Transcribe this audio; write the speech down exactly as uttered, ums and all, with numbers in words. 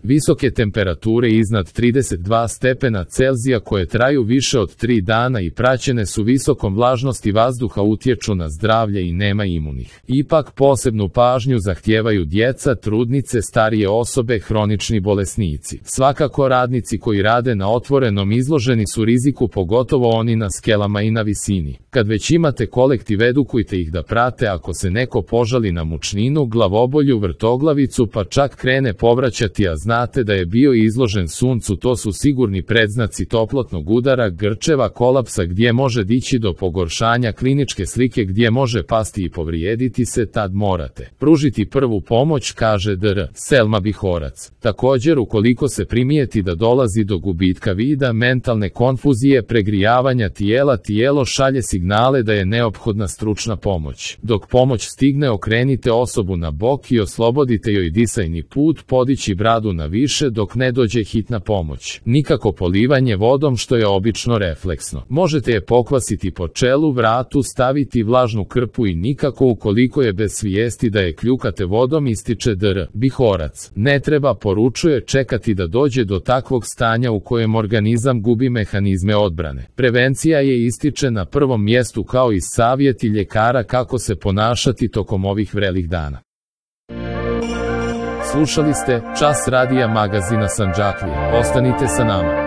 Visoke temperature iznad trideset dva stepena Celzija koje traju više od tri dana i praćene su visokom vlažnosti vazduha utječu na zdravlje i nema imunih. Ipak posebnu pažnju zahtijevaju djeca, trudnice, starije osobe, hronični bolesnici. Svakako radnici koji rade na otvorenom izloženi su riziku, pogotovo oni na skelama i na visini. Kad već imate kolektiv, edukujte ih da prate ako se neko požali na mučninu, glavobolju, vrtoglavicu pa čak krene povraćati, a znate da je bio izložen suncu, to su sigurni predznaci toplotnog udara, grčeva, kolapsa gdje može dići do pogoršanja kliničke slike, gdje može pasti i povrijediti se, tad morate pružiti prvu pomoć, kaže dr Selma Bihorac. Također, ukoliko se primijeti da dolazi do gubitka vida, mentalne konfuzije, pregrijavanja tijela, tijelo šalje signale da je neophodna stručna pomoć. Dok pomoć stigne, okrenite osobu na bok i oslobodite joj disajni put, podići bradu na više dok ne dođe hitna pomoć. Nikako polivanje vodom, što je obično refleksno. Možete je pokvasiti po čelu, vratu, staviti vlažnu krpu i nikako ukoliko je bez svijesti da je kljukate vodom, ističe dr Bihorac. Ne treba, poručuje, čekati da dođe do takvog stanja u kojem organizam gubi mehanizme odbrane. Prevencija je, ističe, na prvom mjestu, kao i savjeti ljekara kako se ponašati tokom ovih vrelih dana. Slušali ste Čas radija magazina Sandžaklija. Ostanite sa nama.